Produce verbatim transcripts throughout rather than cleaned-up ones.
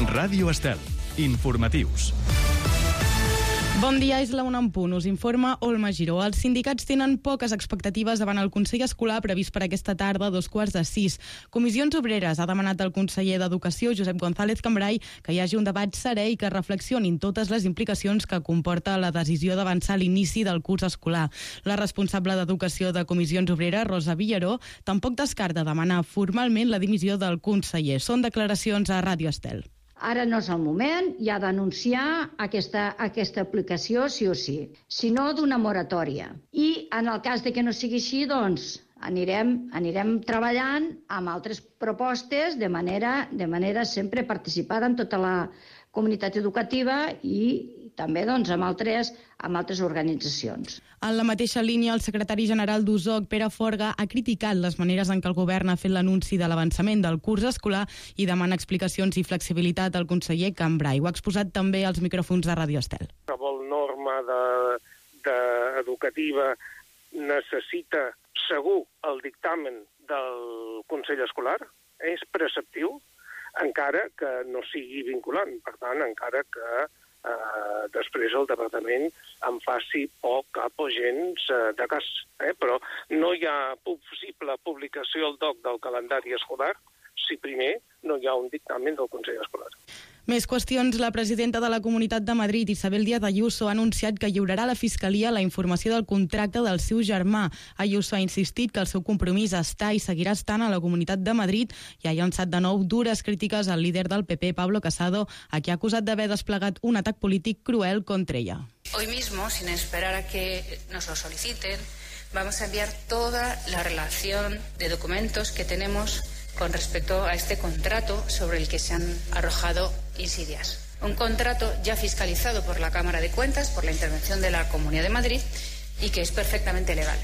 Ràdio Estel. Informatius. Bon dia, és la una en punt. Us informa Olma Giró. Els sindicats tenen poques expectatives davant el Consell Escolar previst per aquesta tarda a dos quarts de sis. Comissions Obreres ha demanat al conseller d'Educació, Josep González Cambray, que hi hagi un debat serè i que reflexionin totes les implicacions que comporta la decisió d'avançar l'inici del curs escolar. La responsable d'Educació de Comissions Obreres, Rosa Villaró, tampoc descarta demanar formalment la dimissió del conseller. Són declaracions a Ràdio Estel. Ara no és el moment, hi ha d'anunciar aquesta, aquesta aplicació sí o sí, si no d'una moratòria. I en el cas de que no sigui així, doncs anirem, anirem treballant amb altres propostes de manera, de manera sempre participada amb tota la comunitat educativa i també doncs, amb, altres, amb altres organitzacions. En la mateixa línia, el secretari general d'U S O C, Pere Forga, ha criticat les maneres en què el govern ha fet l'anunci de l'avançament del curs escolar i demana explicacions i flexibilitat al conseller Cambray. Ho ha exposat també als micròfons de Ràdio Estel. Qualsevol norma de, de educativa necessita segur el dictamen del Consell Escolar, és preceptiu, encara que no sigui vinculant. Per tant, encara que eh, després el Departament en faci poc, cap o gens eh, de cas. Eh? Però no hi ha possible publicació al D O C del calendari escolar si primer no hi ha un dictamen del Consell Escolar. Més qüestions. La presidenta de la Comunitat de Madrid, Isabel Díaz Ayuso, ha anunciat que lliurarà a la Fiscalia la informació del contracte del seu germà. Ayuso ha insistit que el seu compromís està i seguirà estant a la Comunitat de Madrid i ha llançat de nou dures crítiques al líder del P P, Pablo Casado, a qui ha acusat d'haver desplegat un atac polític cruel contra ella. Hoy mismo, sin esperar a que nos lo soliciten, vamos a enviar toda la relación de documentos que tenemos con respecto a este contrato sobre el que se han arrojado insidias. Un contrato ya fiscalizado por la Cámara de Cuentas, por la intervención de la Comunidad de Madrid, y que es perfectamente legal.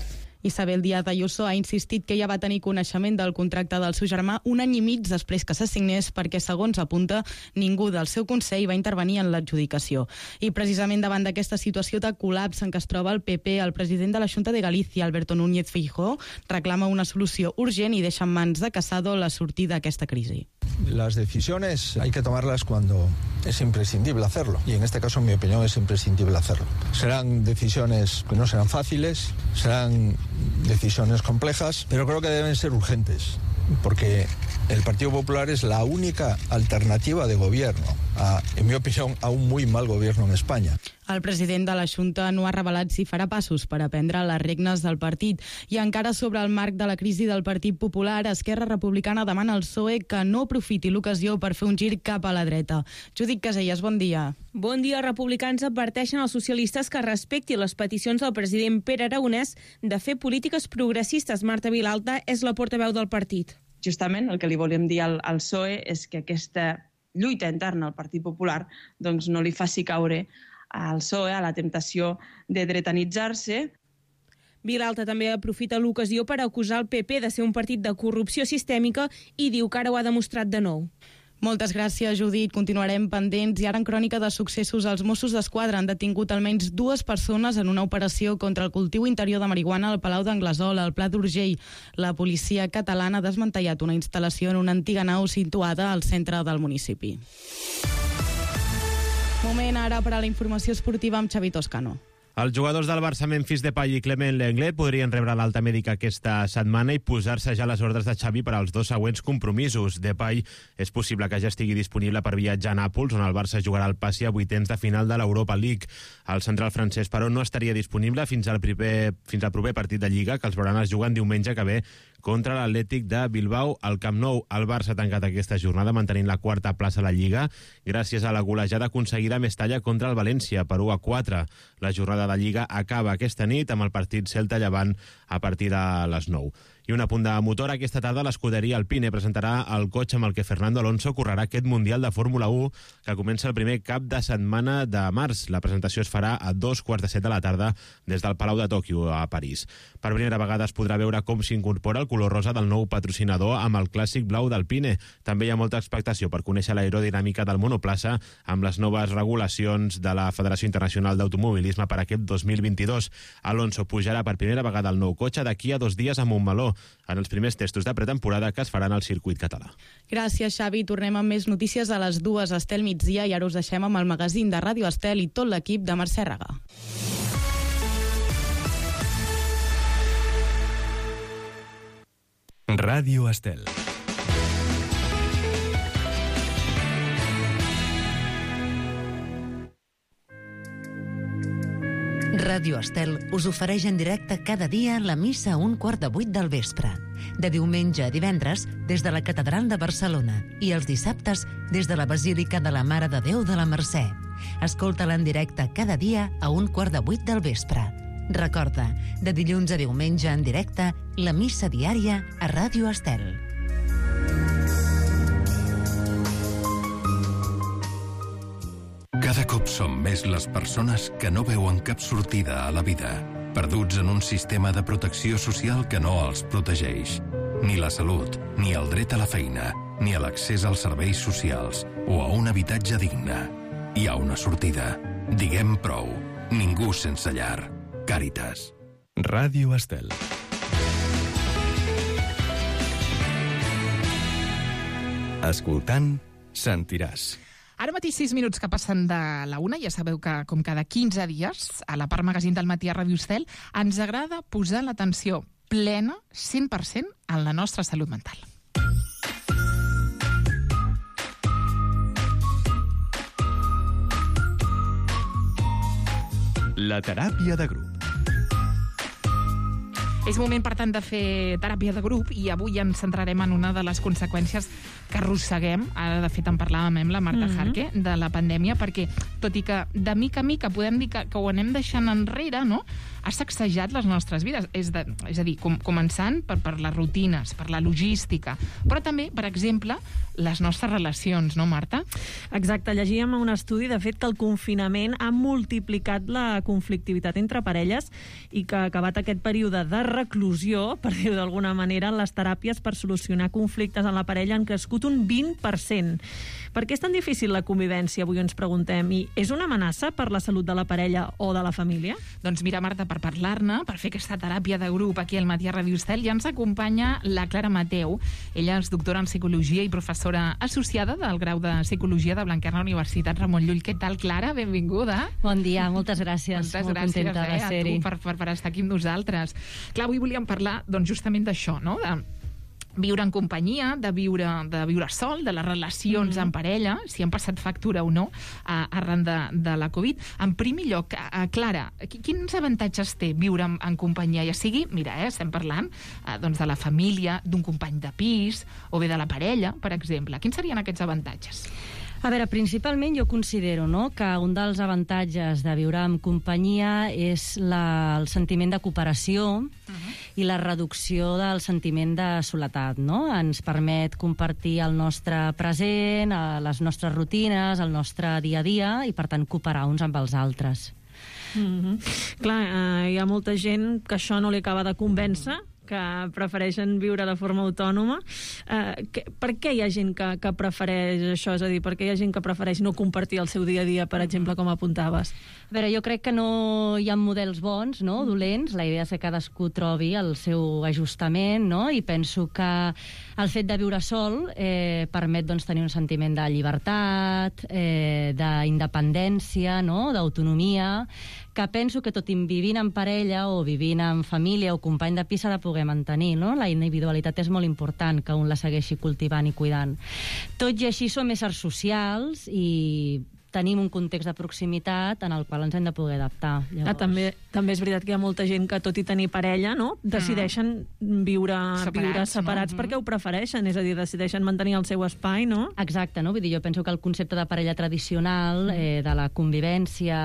Isabel Díaz Ayuso ha insistit que ella va tenir coneixement del contracte del seu germà un any i mig després que s'assignés perquè, segons apunta, ningú del seu Consell va intervenir en l'adjudicació. I precisament davant d'aquesta situació de col·lapse en què es troba el P P, el president de la Xunta de Galícia, Alberto Núñez Feijóo, reclama una solució urgent i deixa en mans de Casado la sortida d'aquesta crisi. Las decisiones hay que tomarlas cuando es imprescindible hacerlo, y en este caso, en mi opinión, es imprescindible hacerlo. Serán decisiones que no serán fáciles, serán decisiones complejas, pero creo que deben ser urgentes, porque el Partido Popular es la única alternativa de gobierno a, en mi opinión, a un muy mal gobierno en España. El president de la Xunta no ha revelat si farà passos per aprendre les regnes del partit. I encara sobre el marc de la crisi del Partit Popular, Esquerra Republicana demana al P S O E que no aprofiti l'ocasió per fer un gir cap a la dreta. Judit Casellas, bon dia. Bon dia. Republicans adverteixen als socialistes que respecti les peticions del president Pere Aragonès de fer polítiques progressistes. Marta Vilalta és la portaveu del partit. Justament el que li volíem dir al, al P S O E és que aquesta lluita interna al Partit Popular doncs, no li faci caure al P S O E a la temptació de dretanitzar-se. Vilalta també aprofita l'ocasió per acusar el P P de ser un partit de corrupció sistèmica i diu que ara ho ha demostrat de nou. Moltes gràcies, Judit. Continuarem pendents. I ara en crònica de successos, els Mossos d'Esquadra han detingut almenys dues persones en una operació contra el cultiu interior de marihuana al Palau d'Anglesola, al Pla d'Urgell. La policia catalana ha desmantellat una instal·lació en una antiga nau situada al centre del municipi. Moment ara per a la informació esportiva amb Xavi Toscano. Els jugadors del Barça, Memphis Depay i Clement Lenglet, podrien rebre l'alta mèdica aquesta setmana i posar-se ja les ordres de Xavi per als dos següents compromisos. Depay és possible que ja estigui disponible per viatjar a Nàpols, on el Barça jugarà el passi a vuitens de final de l'Europa League. El central francès, però, no estaria disponible fins al proper, fins al proper partit de Lliga, que els blaugranes juguen diumenge que ve contra l'Atlètic de Bilbao al Camp Nou. El Barça ha tancat aquesta jornada mantenint la quarta plaça a la Lliga gràcies a la golejada aconseguida a Mestalla contra el València per u a quatre. La jornada de Lliga acaba aquesta nit amb el partit Celta-Llevant a partir de les nou. I un apunt de motor, aquesta tarda l'escuderia Alpine presentarà el cotxe amb el que Fernando Alonso correrà aquest Mundial de Fórmula u que comença el primer cap de setmana de març. La presentació es farà a dos quarts de set de la tarda des del Palau de Tòquio a París. Per primera vegada es podrà veure com s'incorpora el color rosa del nou patrocinador amb el clàssic blau d'Alpine. També hi ha molta expectació per conèixer l'aerodinàmica del monoplaça amb les noves regulacions de la Federació Internacional d'Automobilisme per aquest dos mil vint-i-dos. Alonso pujarà per primera vegada al nou cotxe d'aquí a dos dies a Montmeló. en els primers testos de pretemporada que es faran al circuit català. Gràcies, Xavi. Tornem amb més notícies a les dues, Estel migdia, i ara us deixem amb el magazín de Ràdio Estel i tot l'equip de Mercè Regà. Ràdio Estel. Ràdio Estel us ofereix en directe cada dia la missa a un quart de vuit del vespre. De diumenge a divendres, des de la Catedral de Barcelona, i els dissabtes, des de la Basílica de la Mare de Déu de la Mercè. Escolta-la en directe cada dia a un quart de vuit del vespre. Recorda, de dilluns a diumenge en directe, la missa diària a Ràdio Estel. Cada cop som més les persones que no veuen cap sortida a la vida, perduts en un sistema de protecció social que no els protegeix. Ni la salut, ni el dret a la feina, ni a l'accés als serveis socials o a un habitatge digne. Hi ha una sortida. Diguem prou. Ningú sense llar. Càritas. Ràdio Estel. Escoltant, sentiràs. Ara mateix sis minuts que passen de la una. Ja sabeu que, com cada quinze dies, a la part magazín del matí a Ràdio Estel, ens agrada posar l'atenció plena, cent per cent, en la nostra salut mental. La teràpia de grup. És moment, per tant, de fer teràpia de grup i avui ens centrarem en una de les conseqüències que arrosseguem, ara de fet en parlàvem amb la Marta Mhm. Jarque, de la pandèmia, perquè tot i que de mica en mica podem dir que, que ho anem deixant enrere, no?, ha sacsejat les nostres vides. És, de, és a dir, com, començant per, per les rutines, per la logística, però també, per exemple, les nostres relacions, no, Marta? Exacte, llegíem un estudi, de fet, que el confinament ha multiplicat la conflictivitat entre parelles i que, acabat aquest període de reclusió, per dir-ho d'alguna manera, les teràpies per solucionar conflictes en la parella han crescut un vint per cent. Per què és tan difícil la convivència, avui ens preguntem, i és una amenaça per la salut de la parella o de la família? Doncs mira, Marta, per parlar-ne, per fer aquesta teràpia de grup aquí al matí a Ràdio Estel, ja ens acompanya la Clara Mateu. Ella és doctora en Psicologia i professora associada del grau de Psicologia de Blanquerna Universitat Ramon Llull. Què tal, Clara? Benvinguda. Bon dia, moltes gràcies. Moltes Molt gràcies, contenta eh, de a ser-hi. tu per, per, per estar aquí amb nosaltres. Clar, avui volíem parlar doncs, justament d'això, no?, de viure en companyia, de viure, de viure sol, de les relacions mm-hmm. en parella, si han passat factura o no, a, arran de, de la Covid. En primer lloc, a, a Clara, quins avantatges té viure en, en companyia? Ja sigui, mira, eh, estem parlant eh, doncs de la família, d'un company de pis, o bé de la parella, per exemple. Quins serien aquests avantatges? A veure, principalment jo considero, no?, que un dels avantatges de viure en companyia és la, el sentiment de cooperació uh-huh. i la reducció del sentiment de soledat, no? Ens permet compartir el nostre present, les nostres rutines, el nostre dia a dia i, per tant, cooperar uns amb els altres. Mm-hmm. Clar, eh, hi ha molta gent que això no li acaba de convèncer, que prefereixen viure de forma autònoma. Eh, que, per què hi ha gent que, que prefereix això? És a dir, per què hi ha gent que prefereix no compartir el seu dia a dia, per exemple, com apuntaves? A veure, jo crec que no hi ha models bons, no?, dolents. La idea és que cadascú trobi el seu ajustament, no?, i penso que el fet de viure sol eh, permet doncs, tenir un sentiment de llibertat, eh, d'independència, no?, d'autonomia, que penso que tot i vivint en parella o vivint en família o company de pis s'ha de poder mantenir, no? La individualitat és molt important, que un la segueixi cultivant i cuidant. Tot i així som éssers socials i tenim un context de proximitat en el qual ens hem de poder adaptar. Ah, també, també és veritat que hi ha molta gent que, tot i tenir parella, no?, decideixen viure separats, viure separats no? perquè ho prefereixen, és a dir, decideixen mantenir el seu espai, no? Exacte, no? Vull dir, jo penso que el concepte de parella tradicional, eh, de la convivència,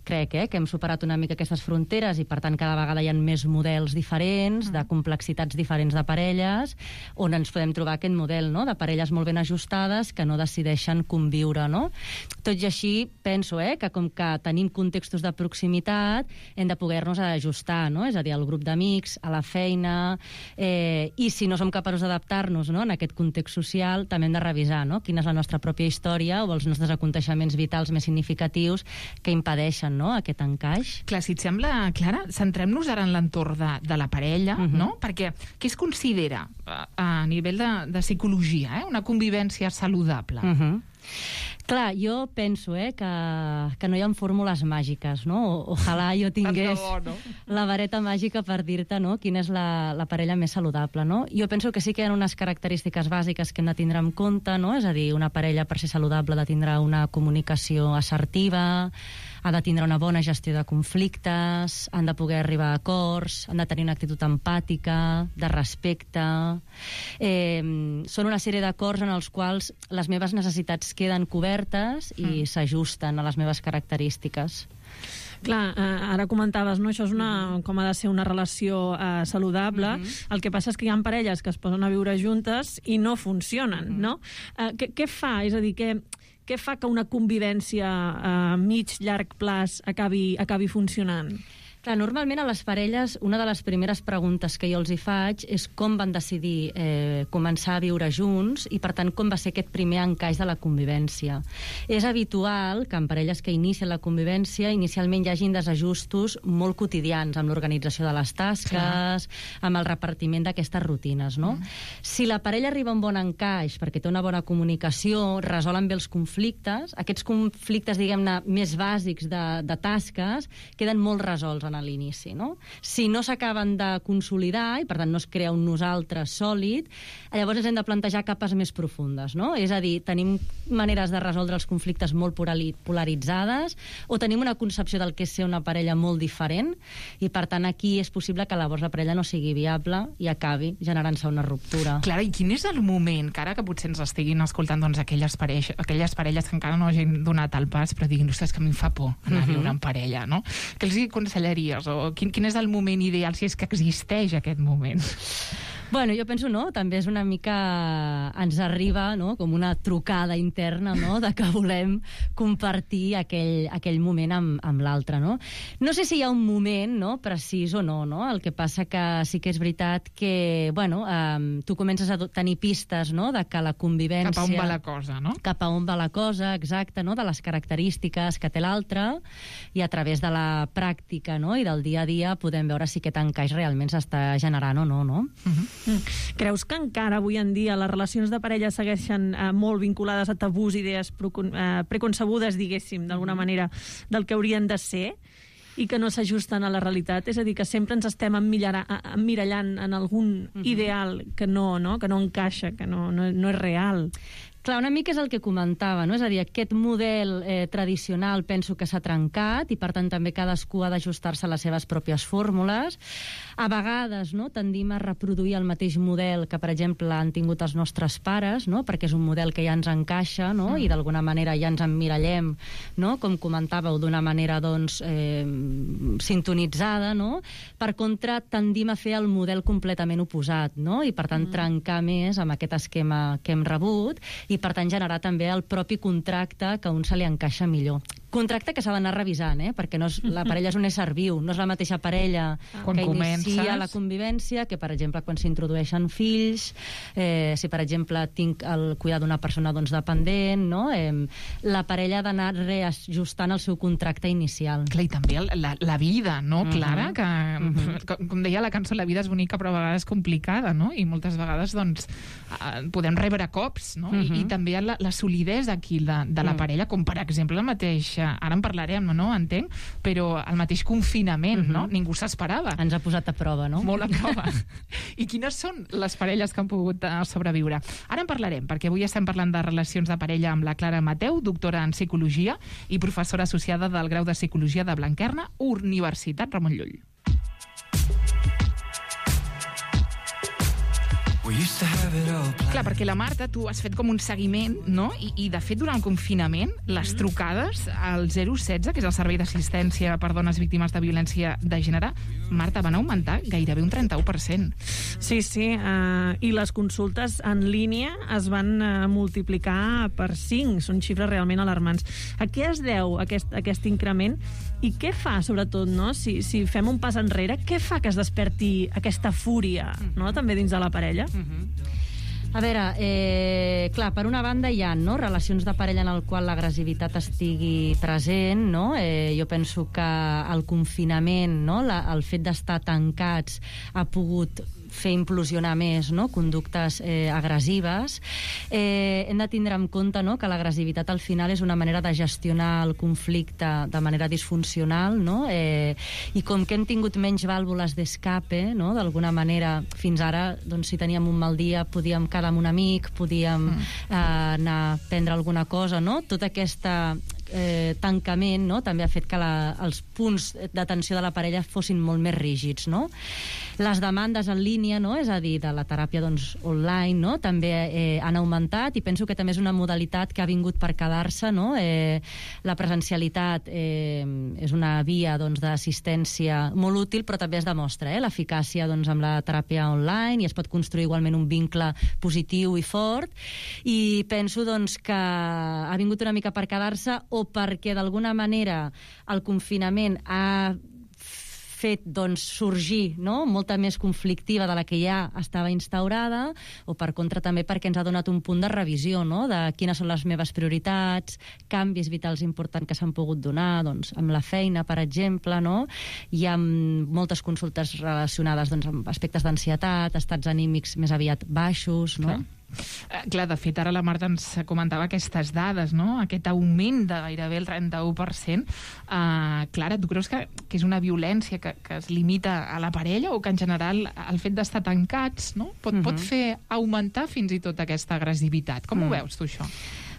crec eh, que hem superat una mica aquestes fronteres i, per tant, cada vegada hi ha més models diferents, de complexitats diferents de parelles, on ens podem trobar aquest model, no?, de parelles molt ben ajustades que no decideixen conviure, no? Tot i i així penso eh, que com que tenim contextos de proximitat hem de poder-nos ajustar, no? És a dir, al grup d'amics, a la feina, eh, i si no som capaços d'adaptar-nos, no?, en aquest context social, també hem de revisar, no?, quina és la nostra pròpia història o els nostres aconteixements vitals més significatius que impedeixen, no?, aquest encaix. Clar, si et sembla, Clara, centrem-nos ara en l'entorn de, de la parella, uh -huh. no? Perquè què es considera a, a nivell de, de psicologia, eh? Una convivència saludable? Uh -huh. Clar, jo penso eh, que, que no hi ha fórmules màgiques, no? O, ojalà jo tingués bo, no? la vareta màgica per dir-te no, quina és la, la parella més saludable, no? Jo penso que sí que hi ha unes característiques bàsiques que hem de tindre en compte, no? És a dir, una parella per ser saludable ha de tindre una comunicació assertiva, ha de tindre una bona gestió de conflictes, han de poder arribar a acords, han de tenir una actitud empàtica, de respecte. Eh, són una sèrie d'acords en els quals les meves necessitats queden cobertes i mm. s'ajusten a les meves característiques. Clar, eh, ara comentaves, no? Això és una, com ha de ser una relació eh, saludable. Mm-hmm. El que passa és que hi ha parelles que es posen a viure juntes i no funcionen, mm-hmm. no? Eh, què, què fa? És a dir, què, què fa que una convivència a mig, llarg plaç acabi, acabi funcionant? Clar, normalment a les parelles una de les primeres preguntes que jo els hi faig és com van decidir eh, començar a viure junts i, per tant, com va ser aquest primer encaix de la convivència. És habitual que en parelles que inicien la convivència inicialment hi hagin desajustos molt quotidians amb l'organització de les tasques, Clar. amb el repartiment d'aquestes rutines, no? Mm. Si la parella arriba a un bon encaix perquè té una bona comunicació, resolen bé els conflictes, aquests conflictes, diguem-ne, més bàsics de, de tasques queden molt resolts en a l'inici, no? Si no s'acaben de consolidar i, per tant, no es crea un nosaltres sòlid, llavors ens hem de plantejar capes més profundes, no? És a dir, tenim maneres de resoldre els conflictes molt polaritzades o tenim una concepció del que és ser una parella molt diferent i, per tant, aquí és possible que llavors la parella no sigui viable i acabi generant-se una ruptura. Clara, i quin és el moment, que ara que potser ens estiguin escoltant doncs, aquelles, pareix, aquelles parelles que encara no hagin donat el pas però diguin, ostres, que a mi em fa por anar a viure en parella, no? Què els aconsellaria? O quin, quin és el moment ideal, si és que existeix aquest moment? Bueno, jo penso, no, també és una mica... ens arriba, no?, com una trucada interna, no?, de que volem compartir aquell, aquell moment amb, amb l'altre, no? No sé si hi ha un moment, no?, precís o no, no? El que passa que sí que és veritat que, bueno, eh, tu comences a tenir pistes, no?, de que la convivència... Cap a on va la cosa, no? Cap a on va la cosa, exacte, no?, de les característiques que té l'altre i a través de la pràctica, no?, i del dia a dia podem veure si aquest encaix realment s'està generant o no, no? Uh-huh. Creus que encara avui en dia les relacions de parella segueixen eh, molt vinculades a tabús, idees eh, preconcebudes, diguéssim, d'alguna manera, del que haurien de ser i que no s'ajusten a la realitat? És a dir, que sempre ens estem emmirallant en algun ideal que no, no, que no encaixa, que no, no, no és real. Clar, una mica és el que comentava, no? És a dir, aquest model eh, tradicional penso que s'ha trencat i, per tant, també cadascú ha d'ajustar-se a les seves pròpies fórmules. A vegades, no?, tendim a reproduir el mateix model que, per exemple, han tingut els nostres pares, no?, perquè és un model que ja ens encaixa, no?, mm. i d'alguna manera ja ens emmirallem, no?, com comentàveu, d'una manera, doncs, eh, sintonitzada, no? Per contra, tendim a fer el model completament oposat, no?, i, per tant, mm. trencar més amb aquest esquema que hem rebut i, per tant, generar també el propi contracte que a un se li encaixa millor. Contracte que s'ha d'anar revisant, eh? Perquè no és, la parella és un ésser viu, no és la mateixa parella quan que comences... inicia la convivència que, per exemple, quan s'introdueixen fills, eh, si, per exemple, tinc el cuidar d'una persona doncs, dependent, no? Eh, la parella ha d'anar reajustant el seu contracte inicial. Clar, i també la, la vida, no, uh-huh. Clara? Que, uh-huh. com, com deia la cançó, la vida és bonica però a vegades complicada, no? I moltes vegades, doncs, podem rebre cops, no? Uh-huh. I, i també la, la solidesa aquí de, de la uh-huh. parella, com, per exemple, el mateix... Ara en parlarem, no? Entenc, però el mateix confinament, uh-huh. no? Ningú s'esperava. Ens ha posat a prova, no? Molt a prova. I quines són les parelles que han pogut sobreviure? Ara en parlarem, perquè avui estem parlant de relacions de parella amb la Clara Mateu, doctora en Psicologia i professora associada del grau de Psicologia de Blanquerna, Universitat Ramon Llull. Clar, perquè la Marta, tu has fet com un seguiment, no? I, i de fet, durant el confinament, les trucades al zero setze, que és el servei d'assistència per dones víctimes de violència de gènere, Marta, van augmentar gairebé un trenta-u per cent. Sí, sí, uh, i les consultes en línia es van uh, multiplicar per cinc, són xifres realment alarmants. A què es deu aquest, aquest increment i què fa, sobretot, no? si, si fem un pas enrere, què fa que es desperti aquesta fúria, no? també dins de la parella? Mm-hmm. A veure, eh, clar, per una banda hi ha no, relacions de parella en el qual l'agressivitat estigui present, no? Eh, jo penso que el confinament, no, la, el fet d'estar tancats ha pogut fer implosionar més no? conductes eh, agressives. Eh, hem de tindre en compte no? que l'agressivitat al final és una manera de gestionar el conflicte de manera disfuncional, no? eh, i com que hem tingut menys vàlvules d'escape, no? d'alguna manera, fins ara, doncs, si teníem un mal dia, podíem quedar amb un amic, podíem mm. eh, anar a prendre alguna cosa, no? Tota aquesta eh, tancament no? també ha fet que la, els punts d'atenció de la parella fossin molt més rígids, no? Les demandes en línia, no? és a dir, de la teràpia doncs, online, no? també eh, han augmentat i penso que també és una modalitat que ha vingut per quedar-se. No? Eh, la presencialitat eh, és una via doncs, d'assistència molt útil, però també es demostra eh, l'eficàcia doncs, amb la teràpia online i es pot construir igualment un vincle positiu i fort. I penso doncs, que ha vingut una mica per quedar-se o perquè d'alguna manera el confinament ha fet doncs, sorgir no? molta més conflictiva de la que ja estava instaurada, o per contra també perquè ens ha donat un punt de revisió no? de quines són les meves prioritats, canvis vitals importants que s'han pogut donar doncs, amb la feina, per exemple, no? Hi ha moltes consultes relacionades doncs, amb aspectes d'ansietat, estats anímics més aviat baixos, no? Clar. Eh, clar, de fet, ara la Marta ens comentava aquestes dades, no? Aquest augment de gairebé el trenta-u per cent. Uh, Clara, tu creus que, que és una violència que, que es limita a la parella o que en general el fet d'estar tancats no? pot, uh-huh. pot fer augmentar fins i tot aquesta agressivitat? Com uh-huh. ho veus, tu, això?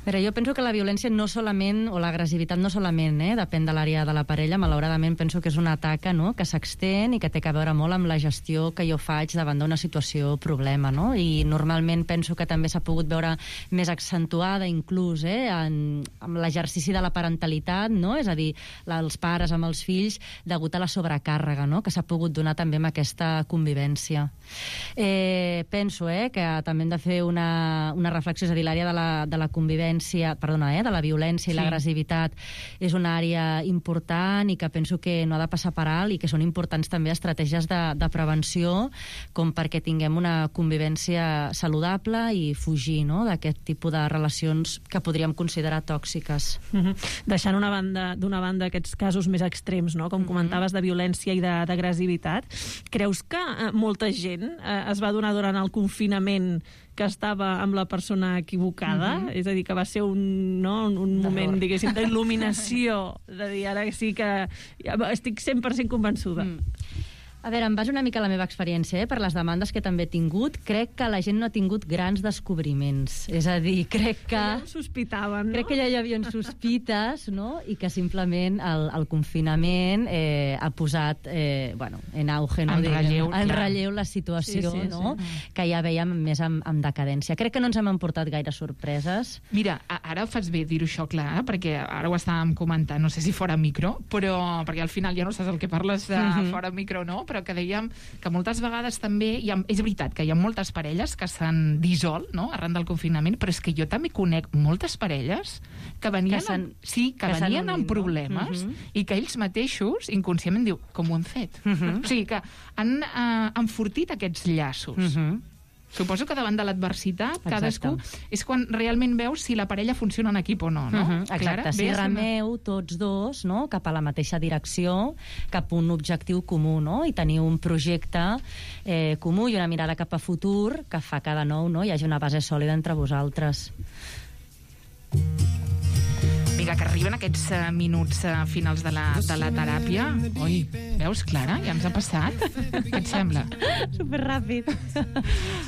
Però jo penso que la violència no solament, o l'agressivitat no solament, eh, depèn de l'àrea de la parella, malauradament penso que és una taca no, que s'extén i que té a veure molt amb la gestió que jo faig davant d'una situació problema, no? I normalment penso que també s'ha pogut veure més accentuada inclús eh, en, amb l'exercici de la parentalitat, no? És a dir, la, els pares amb els fills degut a la sobrecàrrega, no? Que s'ha pogut donar també amb aquesta convivència. Eh, penso eh, que també hem de fer una, una reflexió, és a dir, l'àrea de la, de la convivència perdona, eh, de la violència i sí. l'agressivitat és una àrea important i que penso que no ha de passar per alt i que són importants també estratègies de, de prevenció com perquè tinguem una convivència saludable i fugir no, d'aquest tipus de relacions que podríem considerar tòxiques. Mm-hmm. Deixant una banda, d'una banda aquests casos més extrems, no, com mm-hmm. comentaves, de violència i d'agressivitat, creus que eh, molta gent eh, es va donar durant el confinament que estava amb la persona equivocada, mm-hmm. és a dir, que va ser un, no, un, un moment, diguéssim, d'il·luminació, de dir, ara sí que ja estic cent per cent convençuda. Mm. A veure, em baso una mica la meva experiència, eh, per les demandes que també he tingut. Crec que la gent no ha tingut grans descobriments. És a dir, crec que... Ja ho sospitaven, no? Crec que ja hi havia sospites, no? I que simplement el, el confinament eh, ha posat, eh, bueno, en auge, no? En relleu, en relleu la situació, sí, sí, no? Sí. Que ja veiem més amb, amb decadència. Crec que no ens hem emportat gaire sorpreses. Mira, ara fas bé dir-ho això, clar, perquè ara ho estàvem comentant, no sé si fora micro, però perquè al final ja no saps el que parles de mm-hmm. fora micro, no? Però que dèiem que moltes vegades també hi ha, és veritat que hi ha moltes parelles que s'han dissolt no? arran del confinament, però és que jo també conec moltes parelles que venien, que amb, sí, que que venien amb problemes no? uh-huh. i que ells mateixos inconscientment diu, com ho han fet? Uh-huh. O sigui que han uh, enfortit aquests llaços. Uh-huh. Suposo que davant de l'adversitat, cadascú és quan realment veus si la parella funciona en equip o no, no? Uh-huh, exacte, Clara, si remeu tots dos no? cap a la mateixa direcció, cap a un objectiu comú, no? I tenir un projecte eh, comú i una mirada cap a futur que fa que de nou no? hi hagi una base sòlida entre vosaltres. Vinga, que arriben aquests uh, minuts uh, finals de la, de la teràpia. Ui, veus, Clara? Ja ens ha passat. Què et sembla? Superràpid.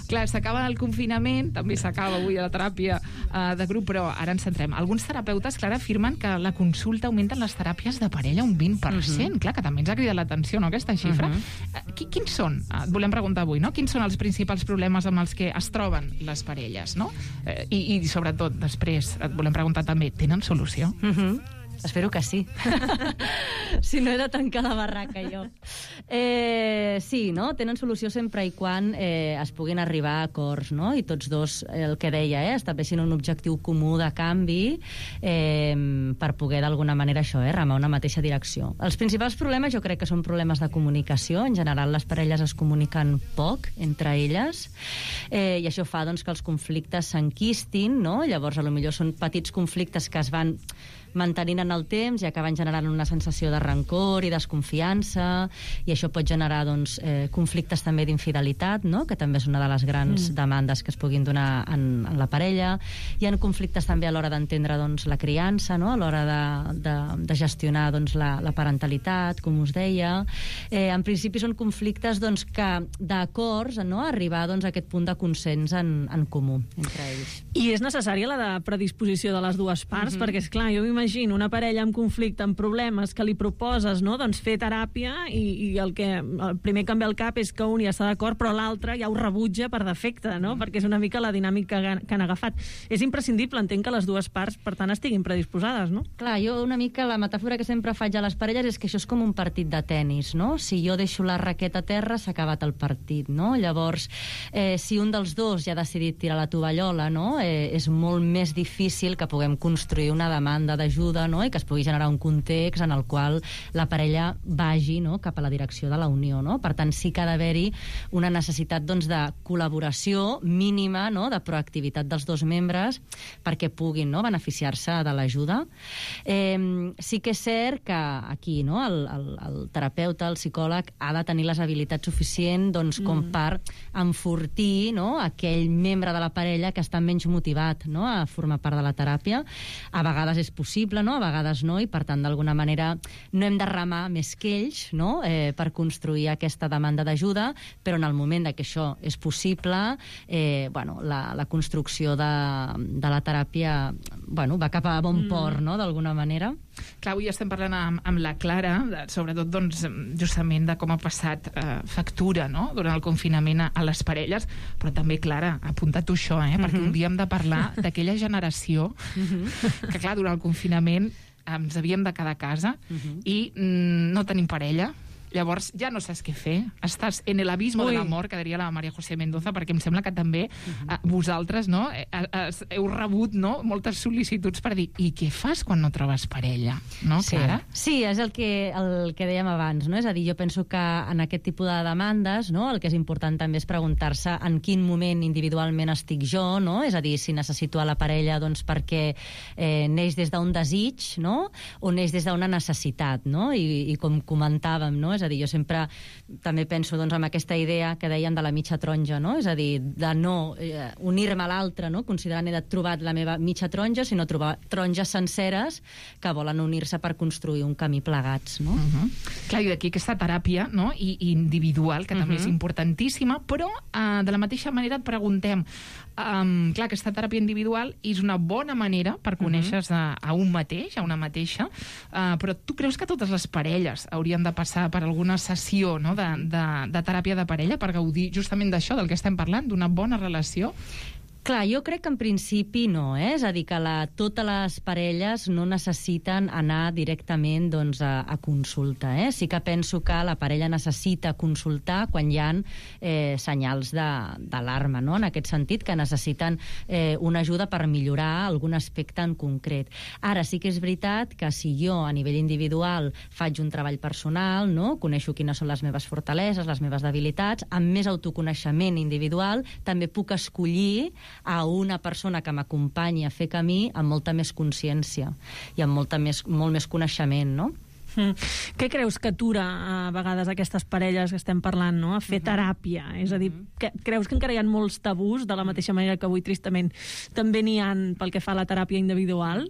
Clar, s'acaba el confinament, també s'acaba avui la teràpia uh, de grup, però ara ens centrem. Alguns terapeutes, Clara, afirmen que la consulta augmenta en les teràpies de parella un vint per cent. Uh-huh. Clar, que també ens ha cridat l'atenció, no?, aquesta xifra. Uh-huh. uh, qui, quins són? Uh, et volem preguntar avui, no? Quins són els principals problemes amb els que es troben les parelles, no? Uh, i, I, sobretot, després, et volem preguntar també, tenen solució? Uh-huh. Espero que sí. Si no, he de tancar la barraca, jo. Eh, sí, no? Tenen solució sempre i quan eh, es puguin arribar a acords, no? I tots dos, el que deia, eh, estableixin un objectiu comú de canvi eh, per poder, d'alguna manera, això, eh, remar una mateixa direcció. Els principals problemes jo crec que són problemes de comunicació. En general, les parelles es comuniquen poc entre elles, eh, i això fa doncs, que els conflictes s'enquistin, no? Llavors, potser són petits conflictes que es van mantenint en el temps i acaben generant una sensació de rancor i desconfiança, i això pot generar doncs, eh, conflictes també d'infidelitat, no? Que també és una de les grans mm. demandes que es puguin donar en, en la parella. Hi ha conflictes també a l'hora d'entendre doncs, la criança, no? A l'hora de, de, de gestionar doncs, la, la parentalitat, com us deia. Eh, en principi són conflictes doncs, que d'acords, no? Arribar doncs, a aquest punt de consens en, en comú entre ells. I és necessària la de predisposició de les dues parts, mm-hmm. perquè, esclar, jo m'imagino una parella amb conflicte, amb problemes, que li proposes, no?, doncs fer teràpia, i, i el que el primer que em ve al cap és que un ja està d'acord, però l'altre ja ho rebutja per defecte, no?, mm. perquè és una mica la dinàmica que han agafat. És imprescindible, entenc, que les dues parts, per tant, estiguin predisposades, no? Clar, jo una mica la metàfora que sempre faig a les parelles és que això és com un partit de tennis, no? Si jo deixo la raqueta a terra, s'ha acabat el partit, no? Llavors, eh, si un dels dos ja ha decidit tirar la tovallola, no?, eh, és molt més difícil que puguem construir una demanda d'ajuda, no?, i que es pugui generar un context en el qual la parella vagi, no?, cap a la direcció de la unió, no? Per tant, sí que ha d'haver-hi una necessitat doncs, de col·laboració mínima, no?, de proactivitat dels dos membres perquè puguin, no?, beneficiar-se de l'ajuda. Eh, sí que és cert que aquí, no?, el, el, el terapeuta, el psicòleg, ha de tenir les habilitats suficients doncs, com mm. per enfortir, no?, aquell membre de la parella que està menys motivat, no?, a formar part de la teràpia. A vegades és possible, no?, a vegades no, i per tant, d'alguna manera, no hem de remar més que ells, no?, eh, per construir aquesta demanda d'ajuda, però en el moment de que això és possible, eh, bueno, la, la construcció de, de la teràpia bueno, va cap a bon mm. port, no?, d'alguna manera. Clar, avui estem parlant amb, amb la Clara, de, sobretot, doncs, justament de com ha passat eh, factura, no?, durant el confinament a, a les parelles, però també, Clara, apunta tu això, eh?, mm-hmm. perquè un dia hem de parlar d'aquella generació mm-hmm. que, clar, durant el confinament ens havíem de quedar a casa uh-huh. i mm, no tenim parella. Llavors ja no saps què fer. Estàs en el abismo Ui. de l'amor, que diria la Maria José Mendoza, perquè em sembla que també uh-huh. eh, vosaltres, no, eh, eh, heu rebut, no, moltes sol·licituds per dir, i què fas quan no trobes parella? No, sí. Clara? Sí, és el que, el que dèiem abans, no? És a dir, jo penso que en aquest tipus de demandes, no, el que és important també és preguntar-se en quin moment individualment estic jo, no? És a dir, si necessito a la parella doncs perquè eh, neix des d'un desig, no?, o neix des d'una necessitat, no? I, i com comentàvem, no?, és a dir, jo sempre també penso doncs, en aquesta idea que deien de la mitja taronja, no? És a dir, de no eh, unir-me a l'altre, no?, considerant he trobat la meva mitja taronja, sinó trobar taronges senceres que volen unir-se per construir un camí plegats, no? Uh-huh. Clar, i d'aquí aquesta teràpia, no?, I, i individual, que uh-huh. també és importantíssima, però eh, de la mateixa manera et preguntem, um, clar, aquesta teràpia individual és una bona manera per conèixer-se uh-huh. a, a un mateix, a una mateixa, uh, però tu creus que totes les parelles haurien de passar per alguna sessió, no?, de, de, de teràpia de parella per gaudir justament d'això, del que estem parlant, d'una bona relació? Clar, jo crec que en principi no, eh? És a dir, que la, totes les parelles no necessiten anar directament doncs, a, a consulta. Eh? Sí que penso que la parella necessita consultar quan hi ha eh, senyals d'alarma, no? En aquest sentit, que necessiten eh, una ajuda per millorar algun aspecte en concret. Ara sí que és veritat que si jo a nivell individual faig un treball personal, no? Coneixo quines són les meves fortaleses, les meves debilitats, amb més autoconeixement individual també puc escollir a una persona que m'acompanyi a fer camí amb molta més consciència i amb molta més, molt més coneixement, no? Mm. Què creus que atura a vegades aquestes parelles que estem parlant, no?, a fer uh-huh. teràpia? És a dir, que, creus que encara hi ha molts tabús, de la mateixa manera que avui tristament també n'hi ha pel que fa a la teràpia individual?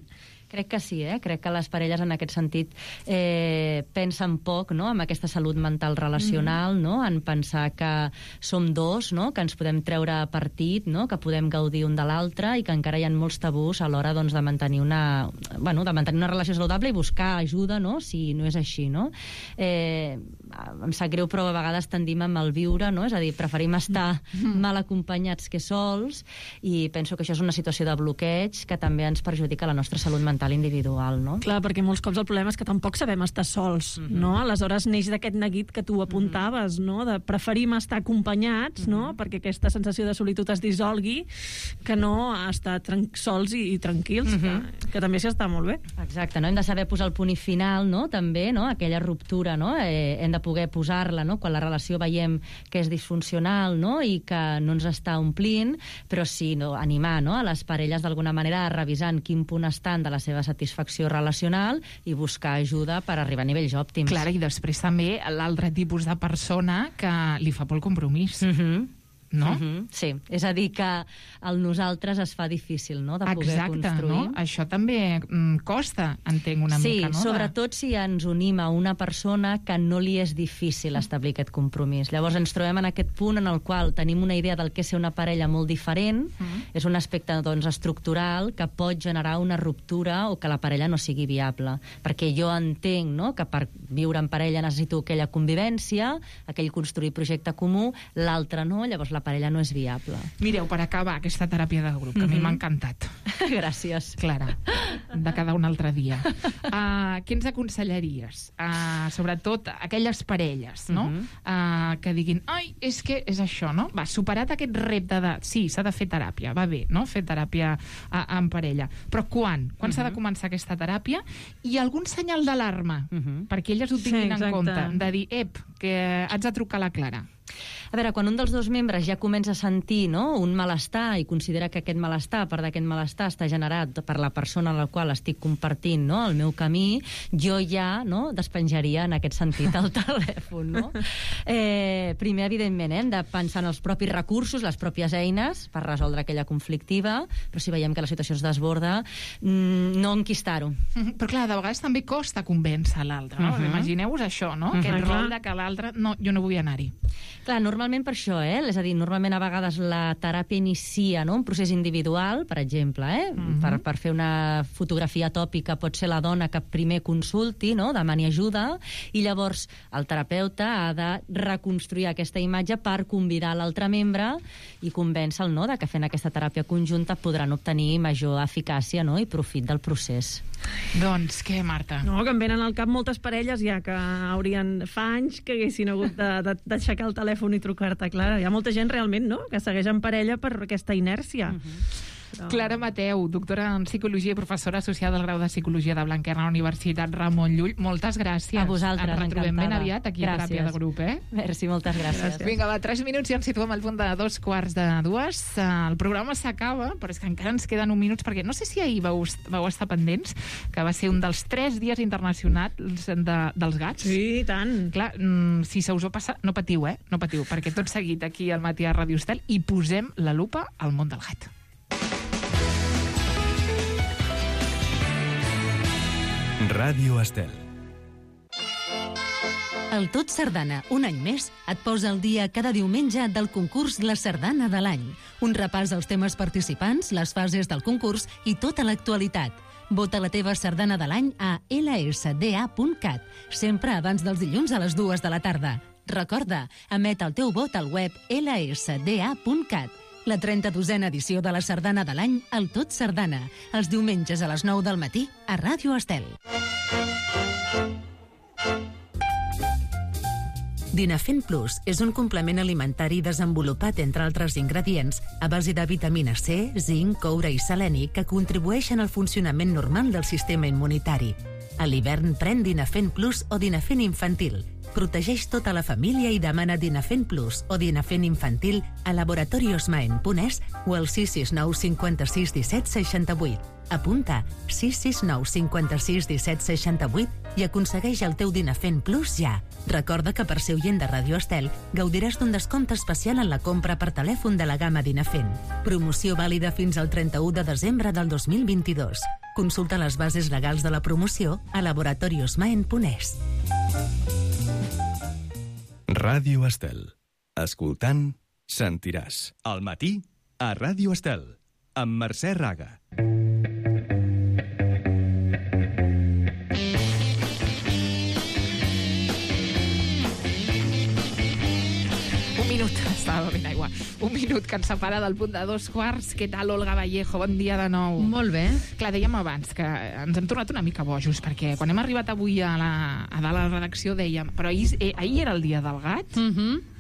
Crec que sí, eh? Crec que les parelles en aquest sentit eh, pensen poc, no?, amb aquesta salut mental relacional, mm. no?, en pensar que som dos, no?, que ens podem treure partit, no?, que podem gaudir un de l'altre i que encara hi ha molts tabús a l'hora doncs, de mantenir una, bueno, de mantenir una relació saludable i buscar ajuda, no?, si no és així, no? Eh, em sap greu, però a vegades tendim a malviure, no? És a dir, preferim estar mal acompanyats que sols, i penso que això és una situació de bloqueig que també ens perjudica la nostra salut mental individual, no? Clar, perquè molts cops el problema és que tampoc sabem estar sols, mm-hmm. no? Aleshores neix d'aquest neguit que tu apuntaves, no? De preferim estar acompanyats, mm-hmm. no? Perquè aquesta sensació de solitud es dissolgui, que no estar sols i, i tranquils, mm-hmm. que, que també s'hi està molt bé. Exacte, no? Hem de saber posar el punt i final, no? També, no? Aquella ruptura, no? Eh, hem de poder posar-la, no? Quan la relació veiem que és disfuncional, no? I que no ens està omplint, però sí, no? Animar, no? A les parelles d'alguna manera a revisar en quin punt estan de la seva satisfacció relacional i buscar ajuda per arribar a nivells òptims. Clar, i després també l'altre tipus de persona que li fa por el compromís. Mhm. No? Uh-huh, sí, és a dir que el nosaltres es fa difícil, no?, de poder Exacte, construir. No? Això també mm, costa, entenc una sí, mica, no? Sí, sobretot si ens unim a una persona que no li és difícil establir aquest compromís. Llavors ens trobem en aquest punt en el qual tenim una idea del que és ser una parella molt diferent, mm. és un aspecte doncs, estructural que pot generar una ruptura o que la parella no sigui viable. Perquè jo entenc, no?, que per viure en parella necessito aquella convivència, aquell construir projecte comú, l'altre no, llavors la parella no és viable. Mireu, per acabar aquesta teràpia de grup, que mm-hmm. a mi m'ha encantat. Gràcies. Clara, de cada un altre dia. Uh, què ens aconsellaries? Uh, sobretot aquelles parelles, no? Mm-hmm. Uh, que diguin, ai, és que és això, no? Va, superat aquest repte de... Sí, s'ha de fer teràpia, va bé, no? Fer teràpia uh, en parella. Però quan? Quan mm-hmm. s'ha de començar aquesta teràpia? I algun senyal d'alarma, mm-hmm. perquè elles ho tinguin sí, en compte. De dir, ep, que haig de trucar a la Clara. A veure, quan un dels dos membres ja comença a sentir, no?, un malestar i considera que aquest malestar, part d'aquest malestar, està generat per la persona amb la qual estic compartint, no?, el meu camí, jo ja, no?, despenjaria en aquest sentit el telèfon, no? Eh, primer, evidentment, eh, hem de pensar en els propis recursos, les pròpies eines per resoldre aquella conflictiva, però si veiem que la situació es desborda, mmm, no enquistar-ho. Mm-hmm. Però clar, de vegades també costa convèncer l'altre, no? Uh-huh. Imagineu-vos això, no? Uh-huh. Aquest rol de que l'altre, no, jo no vull anar-hi. Clar, normalment per això, eh? És a dir, normalment a vegades la teràpia inicia, no?, un procés individual, per exemple, eh? Mm-hmm. Per, per fer una fotografia tòpica pot ser la dona que primer consulti, no?, demani ajuda, i llavors el terapeuta ha de reconstruir aquesta imatge per convidar l'altre membre i convèncer-lo, no?, de que fent aquesta teràpia conjunta podran obtenir major eficàcia, no?, i profit del procés. Doncs què, Marta? No, que em venen al cap moltes parelles ja que haurien fa anys que haguessin hagut d'aixecar el telèfon i trucar-te, Clara. Hi ha molta gent realment, no?, que segueix en parella per aquesta inèrcia. Uh-huh. Però... Clara Mateu, doctora en Psicologia i professora associada al grau de Psicologia de Blanquerna a la Universitat Ramon Llull. Moltes gràcies. A vosaltres, ens retrobem encantada. ben aviat aquí gràcies. A Teràpia de Grup, eh? Merci, moltes gràcies. gràcies. Vinga, va, tres minuts i ens situem al punt de dos quarts de dues. El programa s'acaba, però és que encara ens queden uns minuts, perquè no sé si ahir vau, vau estar pendents, que va ser un dels tres dies internacionals de, dels gats. Sí, tant. Clar, si se us ho passa, no patiu, eh? No patiu, perquè tot seguit aquí al matí a Ràdio Estel i posem la lupa al món del gat. Ràdio Estel. El Tot Sardana, un any més, et posa al dia cada diumenge del concurs La Sardana de l'any. Un repàs dels temes participants, les fases del concurs i tota l'actualitat. Vota la teva sardana de l'any a ela essa de a punt cat, sempre abans dels dilluns a les dues de la tarda. Recorda, emet el teu vot al web ela essa de a punt cat. La trenta-dosena edició de la Sardana de l'any, el Tot Sardana, els diumenges a les nou del matí a Ràdio Estel. Dinafent Plus és un complement alimentari desenvolupat, entre altres ingredients, a base de vitamina C, zinc, coure i seleni que contribueixen al funcionament normal del sistema immunitari. A l'hivern pren Dinafent Plus o Dinafent Infantil. Protegeix tota la família i demana Dinafent Plus o Dinafent Infantil a laboratoriosmaen punt es o al sis sis nou cinquanta-sis disset seixanta-vuit. Apunta sis sis nou cinquanta-sis disset seixanta-vuit i aconsegueix el teu Dinafent Plus ja. Recorda que per ser oient de Ràdio Estel gaudiràs d'un descompte especial en la compra per telèfon de la gamma Dinafent. Promoció vàlida fins al trenta-u de desembre del dos mil vint-i-dos. Consulta les bases legals de la promoció a laboratoriosmaen punt es. Ràdio Estel. Escoltant, sentiràs. Al matí, a Ràdio Estel, amb Mercè Raga. Estava bevent aigua. Un minut que ens separa del punt de dos quarts. Què tal, Olga Vallejo? Bon dia de nou. Molt bé. Clar, dèiem abans que ens hem tornat una mica bojos, perquè quan hem arribat avui a, la, a dalt a la redacció dèiem, però ahir, eh, ahir era el dia del gat, Mhm. Mm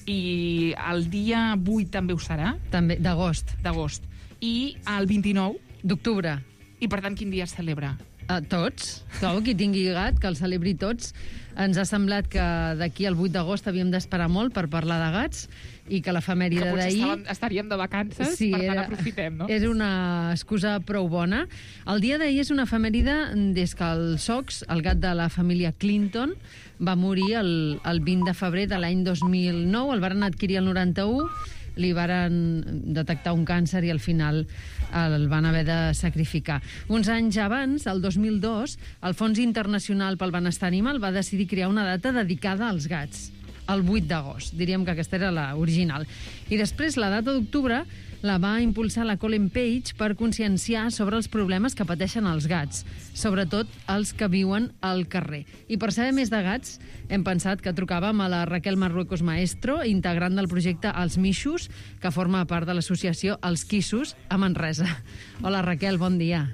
i el dia vuit també ho serà. També, d'agost. D'agost. I el vint-i-nou D'octubre. I per tant, quin dia es celebra? A tots. Clar, qui tingui gat, que el celebri tots. Ens ha semblat que d'aquí al vuit d'agost havíem d'esperar molt per parlar de gats i que l'efemèride Que potser d'ahir... estàvem, estaríem de vacances, Sí, per tant era- aprofitem, no? És una excusa prou bona. El dia d'ahir és una efemèride des que el Sox, el gat de la família Clinton, va morir el, el vint de febrer de l'any dos mil nou. El varen adquirir el noranta-u, li varen detectar un càncer i al final el van haver de sacrificar. Uns anys abans, el dos mil dos, el Fons Internacional pel Benestar Animal va decidir crear una data dedicada als gats, el vuit d'agost. Diríem que aquesta era la original. I després, la data d'octubre la va impulsar la Colin Page per conscienciar sobre els problemes que pateixen els gats, sobretot els que viuen al carrer. I per saber més de gats, hem pensat que trucàvem a la Raquel Marruecos Maestro, integrant del projecte Els Mixos, que forma part de l'associació Els Quissos, a Manresa. Hola, Raquel, bon dia.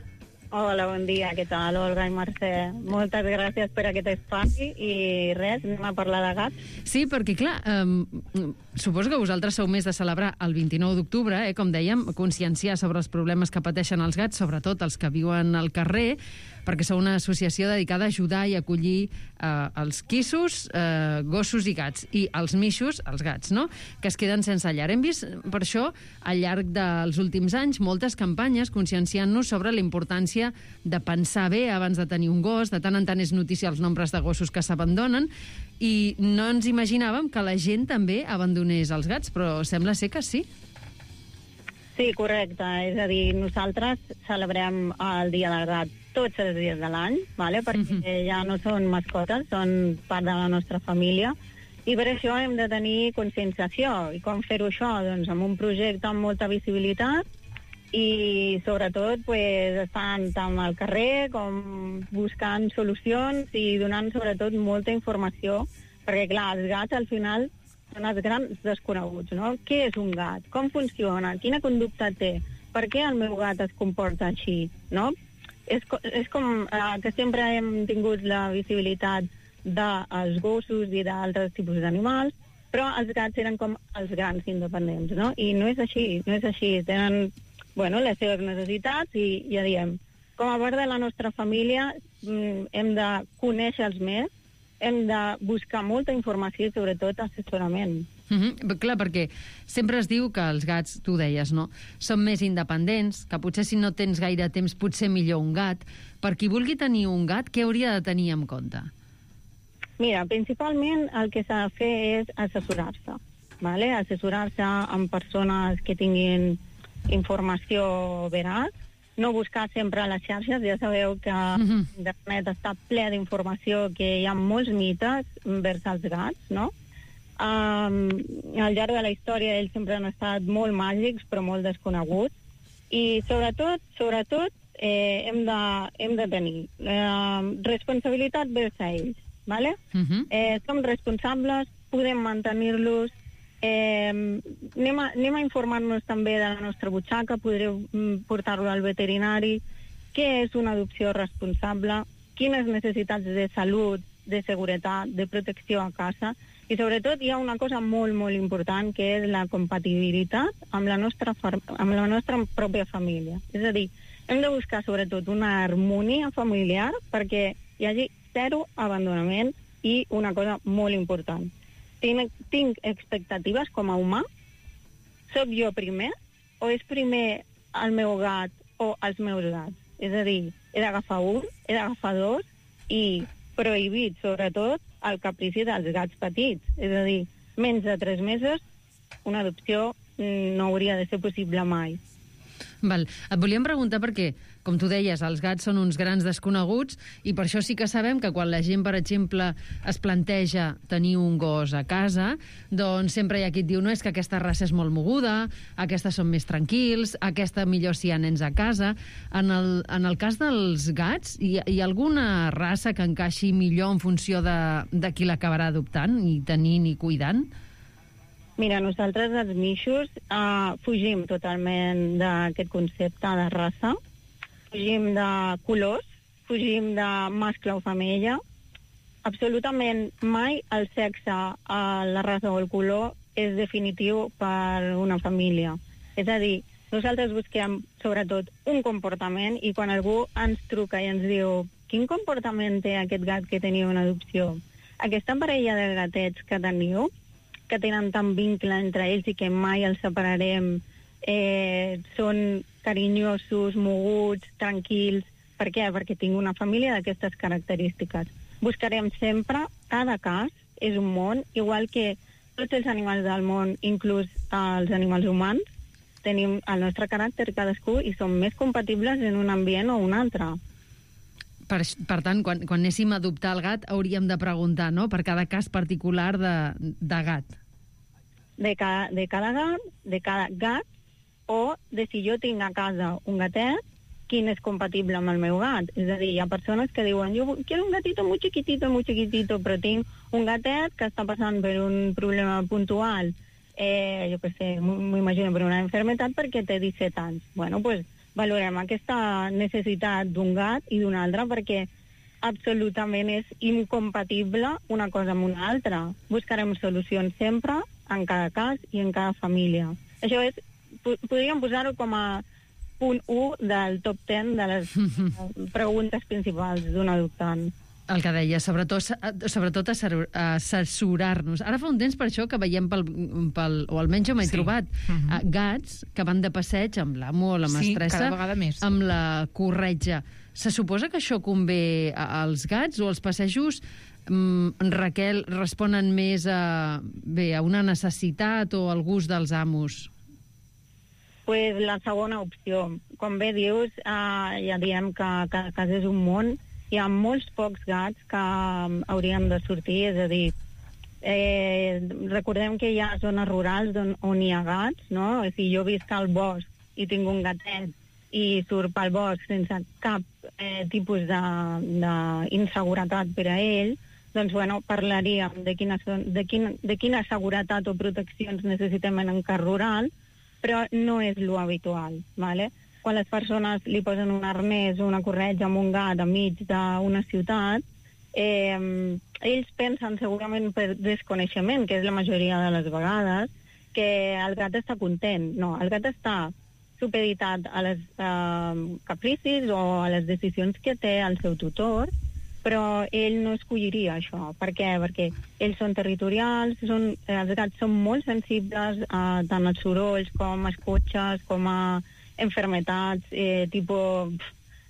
Hola, bon dia, què tal, Olga i Mercè? Moltes gràcies per aquest espai i res, anem a parlar de gats. Sí, perquè, clar, eh, suposo que vosaltres sou més de celebrar el vint-i-nou d'octubre, eh, com dèiem, conscienciar sobre els problemes que pateixen els gats, sobretot els que viuen al carrer, perquè sou una associació dedicada a ajudar i acollir eh, els quissos, eh, gossos i gats, i els mixos, els gats, no?, que es queden sense llar. Hem vist, per això, al llarg dels últims anys, moltes campanyes conscienciant-nos sobre la importància de pensar bé abans de tenir un gos. De tant en tant és notícia els nombres de gossos que s'abandonen, i no ens imaginàvem que la gent també abandonés els gats, però sembla ser que sí. Sí, correcte. És a dir, nosaltres celebrem el Dia del Gat tots els dies de l'any, vale? Perquè uh-huh. ja no són mascotes, són part de la nostra família, i per això hem de tenir conscienciació. I com fer-ho això? Doncs amb un projecte amb molta visibilitat i, sobretot, pues, estant tant al carrer com buscant solucions i donant, sobretot, molta informació, perquè, clar, els gats, al final, són els grans desconeguts, no? Què és un gat? Com funciona? Quina conducta té? Per què el meu gat es comporta així, no? És, és com eh, que sempre hem tingut la visibilitat dels gossos i d'altres tipus d'animals, però els gats eren com els grans independents, no? I no és així, no és així. Tenen, bueno, les seves necessitats i ja diem, com a part de la nostra família hem de conèixer-los més, hem de buscar molta informació i, sobretot, assessorament. Mm-hmm. Clar, perquè sempre es diu que els gats, tu deies, no?, són més independents, que potser si no tens gaire temps potser millor un gat. Per qui vulgui tenir un gat, què hauria de tenir en compte? Mira, principalment el que s'ha de fer és assessorar-se, ¿vale? Assessorar-se amb persones que tinguin informació veraç, no buscar sempre a les xarxes. Ja sabeu que mm-hmm. internet està ple d'informació, que hi ha molts mites vers els gats, no? Um, al llarg de la història ells sempre han estat molt màgics però molt desconeguts, i sobretot, sobretot eh, hem, de, hem de tenir eh, responsabilitat vers a ells, ¿vale? Uh-huh. eh, som responsables, podem mantenir-los, eh, anem, a, anem a informar-nos també de la nostra butxaca, podreu portar-lo al veterinari, què és una adopció responsable, quines necessitats de salut, de seguretat, de protecció a casa. I sobretot hi ha una cosa molt, molt important, que és la compatibilitat amb la nostra, amb la nostra pròpia família. És a dir, hem de buscar sobretot una harmonia familiar perquè hi hagi zero abandonament i una cosa molt important. Tinc, tinc expectatives com a humà? Soc jo primer? O és primer el meu gat o els meus gats? És a dir, he d'agafar un, he d'agafar dos i prohibit, sobretot, el caprici dels gats petits. És a dir, menys de tres mesos, una adopció no hauria de ser possible mai. Val. Et volíem preguntar perquè, com tu deies, els gats són uns grans desconeguts i per això sí que sabem que quan la gent, per exemple, es planteja tenir un gos a casa, doncs sempre hi ha qui et diu no, és que aquesta raça és molt moguda, aquestes són més tranquils, aquesta millor si hi ha nens a casa. En el, en el cas dels gats, hi, hi ha alguna raça que encaixi millor en funció de, de qui l'acabarà adoptant i tenint i cuidant? Mira, nosaltres els mixos uh, fugim totalment d'aquest concepte de raça, fugim de colors, fugim de mascle o femella. Absolutament mai el sexe, uh, la raça o el color és definitiu per una família. És a dir, nosaltres busquem sobretot un comportament i quan algú ens truca i ens diu quin comportament té aquest gat que teniu en adopció, aquesta parella de gatets que teniu, que tenen tant vincle entre ells i que mai els separarem, eh, són carinyosos, moguts, tranquils. Per què? Perquè tinc una família d'aquestes característiques. Buscarem sempre, cada cas és un món, igual que tots els animals del món, inclús els animals humans, tenim el nostre caràcter cadascú i som més compatibles en un ambient o un altre. Per, per tant, quan, quan anéssim a adoptar el gat, hauríem de preguntar, no?, per cada cas particular de, de gat. De cada, de cada gat, de cada gat, o de si jo tinc a casa un gatet, quin és compatible amb el meu gat. És a dir, hi ha persones que diuen jo quiero un gatito muy chiquitito, muy chiquitito, però tinc un gatet que està passant per un problema puntual, eh, jo què sé, m'imagino per una enfermetat perquè té disset anys. Bueno, doncs pues, valorem aquesta necessitat d'un gat i d'un altre perquè absolutament és incompatible una cosa amb una altra. Buscarem solucions sempre, en cada cas i en cada família. Això és, podríem posar-ho com a punt u del top ten de les preguntes principals d'un adoptant. El que deia, sobretot, sobretot assessorar-nos. Ara fa un temps per això que veiem, pel, pel, o almenys jo m'he sí. trobat, uh-huh. gats que van de passeig amb l'amo o la mestressa, sí, cada vegada més. Amb la corretja. Se suposa que això convé als gats o als passejos, mm, Raquel, responen més a, bé, a una necessitat o al gust dels amos? Pues la segona opció. Com bé dius, eh, ja diem que cada cas és un món. Hi ha molts pocs gats que haurien de sortir, és a dir, eh, recordem que hi ha zones rurals on, on hi ha gats, no? Si jo visc al bosc i tinc un gatet i surt pel bosc sense cap eh, tipus d'inseguretat per a ell, doncs, bueno, parlaríem de quina, de, quina, de quina seguretat o proteccions necessitem en un cas rural, però no és lo habitual, ¿vale? Quan les persones li posen un arnès o una corretja amb un gat enmig d'una ciutat, eh, ells pensen segurament per desconeixement, que és la majoria de les vegades, que el gat està content. No, el gat està supeditat a les eh, capricis o a les decisions que té el seu tutor, però ell no escolliria això. Per què? Perquè ells són territorials, són, els gats són molt sensibles a tant als sorolls com als cotxes, com a enfermetats, eh, tipus,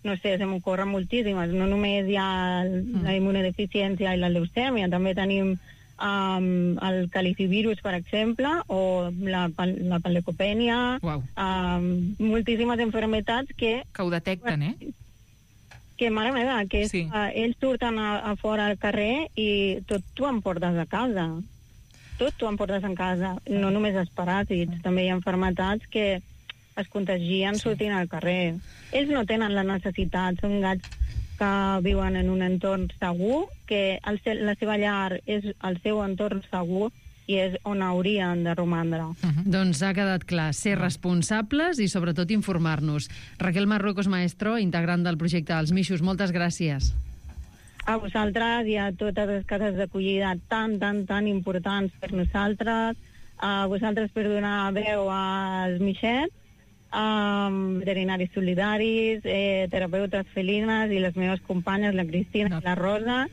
no sé, se m'ocorren moltíssimes. No només hi ha la immunodeficiència i la leucèmia, també tenim um, el calicivirus, per exemple, o la, la panleucopènia, wow. um, moltíssimes enfermetats que... Que ho detecten, eh? Que, mare meva, que és, sí. uh, ells surten a, a fora al carrer i tot tu em portes a casa. Tot tu em portes a casa. No només els paràsits, també hi ha enfermetats que es contagien sí. sortint al carrer. Ells no tenen la necessitat, són gats que viuen en un entorn segur, que el, la seva llar és el seu entorn segur i és on haurien de romandre. Uh-huh. Doncs ha quedat clar, ser responsables i sobretot informar-nos. Raquel Marruecos Maestro, integrant del projecte Els Mixos, moltes gràcies. A vosaltres i a totes les cases d'acollida tan, tan, tan importants per nosaltres, a vosaltres per donar veu als mixets, Um, veterinaris solidaris, eh, terapeutes felines i les meves companyes, la Cristina no. i la Rosa.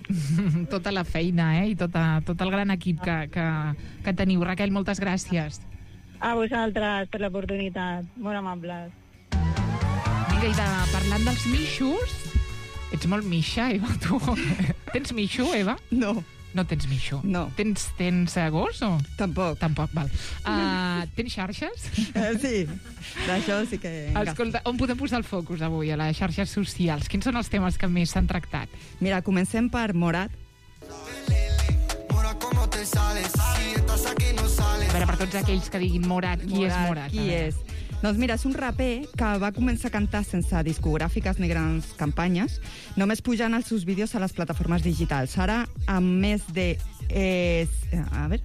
Tota la feina, eh? I tota, tot el gran equip que, que, que teniu. Raquel, moltes gràcies. A vosaltres per l'oportunitat. Molt amables. Vinga, i de, parlant dels mixos, ets molt mixa, Eva, tu. Tens mixo, Eva? No. No tens mixo? No. Tens, tens uh, gos o...? Tampoc. Tampoc, val. Uh, tens xarxes? Uh, sí, d'això sí que... Escolta, on podem posar el focus avui, a les xarxes socials? Quins són els temes que més s'han tractat? Mira, comencem per Morat. A veure, per tots aquells que diguin Morat, qui Morat, és Morat? Qui és? Doncs mira, és un raper que va començar a cantar sense discogràfiques ni grans campanyes, només pujant els seus vídeos a les plataformes digitals. Ara, amb més de... Eh, a veure...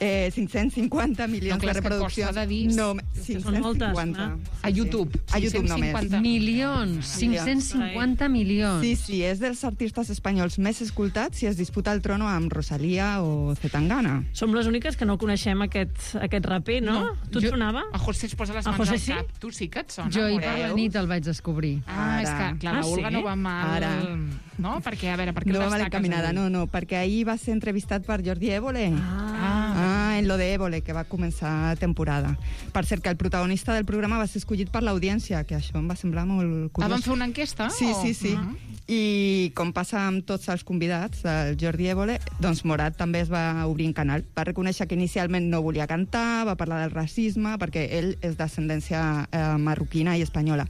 Eh, cinc-cents cinquanta milions No, clar, de és que reproduccions. costa de dir- No, és que cinc-cents cinquanta. A YouTube. A YouTube cinc-cents només. cinquanta. Milions, cinc-cents cinquanta milions. Sí, sí, és dels artistes espanyols més escoltats i es disputa el trono amb Rosalía o Zetangana. Som les úniques que no coneixem aquest, aquest raper, no? No, Tu et jo- sonava? A José es posa les A mans José al sí? cap. Tu sí que et sona, Jo ahir per Moreu? la nit el vaig descobrir. Ah, és que, clar, Ah, la Olga sí? no va mal... Ara. No? Perquè, a veure, per què No el va mal destaques encaminada, avui? no, no, perquè ahir va ser entrevistat per Jordi Évole. Ah. Ah, en lo de Évole, que va començar temporada. Per cert, que el protagonista del programa va ser escollit per l'audiència, que això em va semblar molt curiós. Ah, van fer una enquesta? Sí, o- sí, sí. Ah. I com passa amb tots els convidats, el Jordi Évole, doncs Morat també es va obrir en canal. Va reconèixer que inicialment no volia cantar, va parlar del racisme, perquè ell és d'ascendència eh, marroquina i espanyola.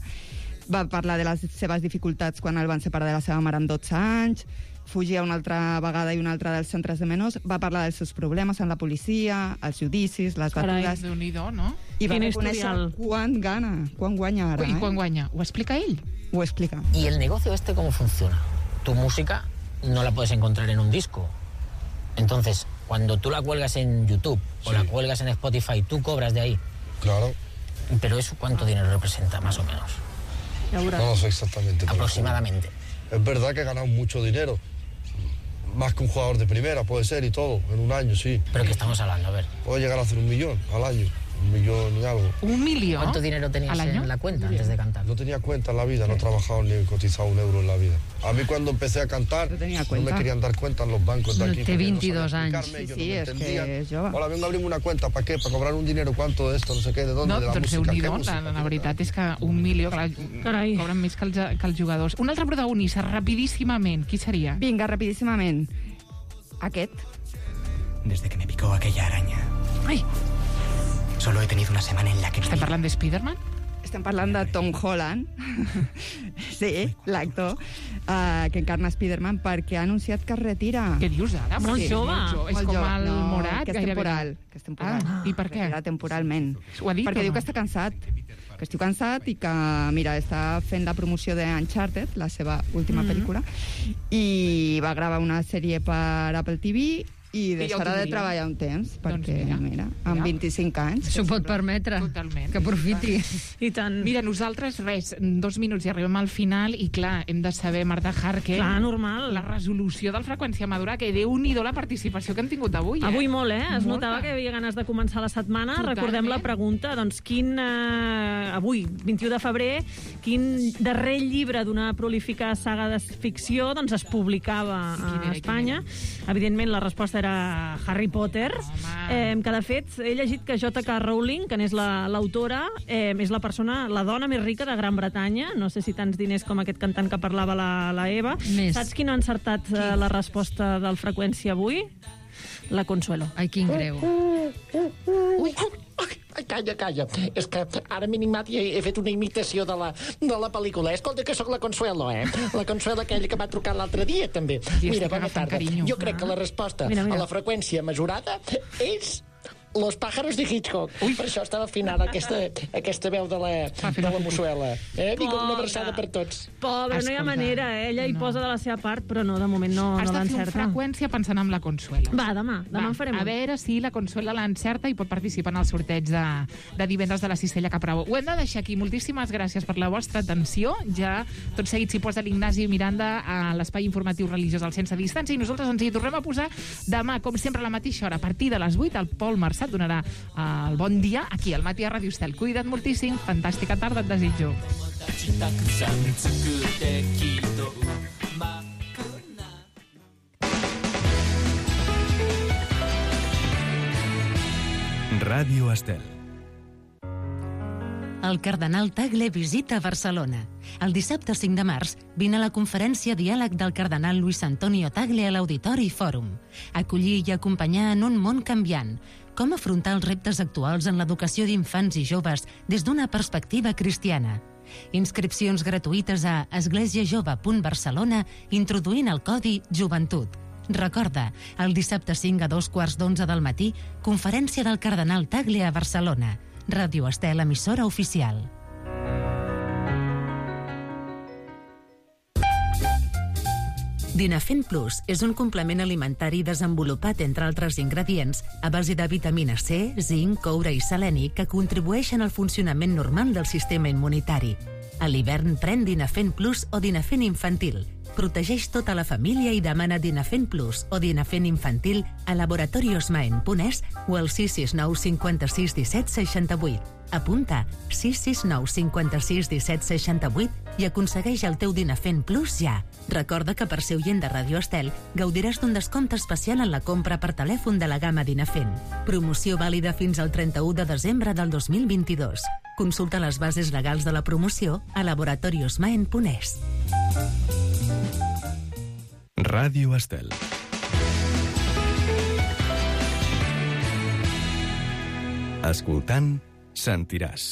Va parlar de les seves dificultats quan el van separar de la seva mare amb dotze anys, fugia una altra vegada i una altra dels centres de menors, va parlar dels seus problemes amb la policia, els judicis, les Carai, batudes... Déu-n'hi-do, no? I va Quin reconèixer historial. quan gana, quan guanya ara. I eh? quan guanya? Ho explica ell? Ho explica. ¿Y el negocio este cómo funciona? Tu música no la puedes encontrar en un disco. Entonces, cuando tú la cuelgas en YouTube o la cuelgas en Spotify, tú cobras de ahí. Claro. Pero eso, ¿cuánto dinero representa, más o menos? No lo sé exactamente. pero Aproximadamente. Es verdad que he ganado mucho dinero. Más que un jugador de primera, puede ser, y todo, en un año, sí. ¿Pero qué estamos hablando? A ver. Puedo llegar a hacer un millón al año. Un millón y algo. ¿Un millón? ¿Cuánto dinero tenías en la cuenta antes de cantar? No tenía cuenta en la vida, no he trabajado ni he cotizado un euro en la vida. A mí cuando empecé a cantar, no, cuenta. me querían dar cuenta en los bancos de aquí. Té porque no veintidós sabía anys. explicarme, ellos Sí, no me és que entendían. és jove. Hola, vengo a abrirme una cuenta, ¿para qué? Para cobrar un dinero, ¿cuánto de esto? No sé qué, ¿de dónde? No, de la doncs música. ¿Qué Déu-n'hi-do, la, música? la veritat és que un milió, clar, Carai. cobren més que els, que els jugadors. Un altre protagonista, rapidíssimament, qui seria? Vinga, rapidíssimament. Aquest. Desde que me picó aquella araña. Ai, Solo he tenido una semana en la que... estem parlant de Spiderman? Estem parlant de Tom Holland, sí, l'actor uh, que encarna Spiderman, perquè ha anunciat que es retira. Què dius ara? Molt Sí, jove. molt jove. És Molt com jove. el no, Morat, que és gairebé. temporal. Que és temporal. Ah, i per què? Retira temporalment. Ho ha dit perquè o diu no? que està cansat, que estiu cansat i que, mira, està fent la promoció de Uncharted, la seva última Mhm. pel·lícula, i va gravar una sèrie per Apple T V i ja ho deixarà de tindria. treballar un temps, perquè, mira, mira, amb vint-i-cinc anys... S'ho pot permetre. Totalment. Que aprofiti. I tant. Mira, nosaltres, res, dos minuts i arribem al final i, clar, hem de saber, Marta Harker, Clar, normal. la resolució del Freqüència Madura, que Déu-n'hi-do la participació que han tingut avui, eh? Avui molt, eh? Es Molta. notava que hi havia ganes de començar la setmana. Totalment. Recordem la pregunta, doncs, quin, eh, avui, vint-i-u de febrer, quin darrer llibre d'una prolífica saga de ficció doncs, es publicava Quin era, a Espanya? Evidentment, la resposta era Harry Potter, eh, que de fet he llegit que J K Rowling, que n'és la- l'autora, eh, és la persona, la dona més rica de Gran Bretanya, no sé si tants diners com aquest cantant que parlava la, la Eva. Més. Saps qui no ha encertat eh, la resposta del Freqüència avui? La Consuelo. Ai, quin greu. Ui, ai, calla, calla. És que ara m'he animat i he, he fet una imitació de la, de la pel·lícula. Escolta que sóc la Consuelo, eh? La Consuelo aquella que va trucar l'altre dia, també. Sí, Mira, estic bona agafant tarda. carinyo. Jo crec que la resposta Mira, mira. a la freqüència mesurada és Los pájaros de Hitchcock. Ui, per això estava afinada aquesta, aquesta veu de la, de la Mossuela. Eh? Vinga, una abraçada per tots. Pobre, no hi ha Escolta, manera, eh? Ella hi no. posa de la seva part, però no, de moment no, Has no de fer un l'encerta. Freqüència pensant en la Consuelo. Va, demà, demà Va, en farem a un. veure si la Consuela l'encerta i pot participar en el sorteig de, de divendres de la Cistella Capravo. Ho hem de deixar aquí. Moltíssimes gràcies per la vostra atenció. Ja tot seguit s'hi posa l'Ignasi Miranda a l'espai informatiu religiós al Sense Distància i nosaltres ens hi tornem a posar demà, com sempre, a la mateixa hora. A partir de les vuit, el Pol Marçat donarà el bon dia aquí al matí a Ràdio Estel. Cuida't moltíssim, fantàstica tarda et desitjo. Ràdio Estel. El cardenal Tagle visita Barcelona. El dissabte cinc de març vine a la conferència Diàleg del cardenal Luis Antonio Tagle a l'Auditori Fòrum. Acollir i acompanyar en un món canviant. Com afrontar els reptes actuals en l'educació d'infants i joves des d'una perspectiva cristiana. Inscripcions gratuïtes a esglésiajove punt barcelona introduint el codi Joventut. Recorda, el dissabte cinc a dos quarts d'onze del matí, conferència del cardenal Tagle a Barcelona. Ràdio Estel, emissora oficial. Dinafen Plus és un complement alimentari desenvolupat, entre altres ingredients, a base de vitamina C, zinc, coure i seleni que contribueixen al funcionament normal del sistema immunitari. A l'hivern pren Dinafen Plus o Dinafen Infantil. Protegeix tota la família i demana Dinafen Plus o Dinafen Infantil a laboratoriosmaen.es o al sis sis nou cinquanta-sis disset seixanta-vuit. Apunta sis sis nou cinquanta-sis disset seixanta-vuit i aconsegueix el teu Dinafen Plus ja. Recorda que per ser oient de Radio Estel gaudiràs d'un descompte especial en la compra per telèfon de la gamma Dinafen. Promoció vàlida fins al trenta-u de desembre del dos mil vint-i-dos. Consulta les bases legals de la promoció a laboratoriosmaen.es. Ràdio Estel. Escoltant, sentiràs.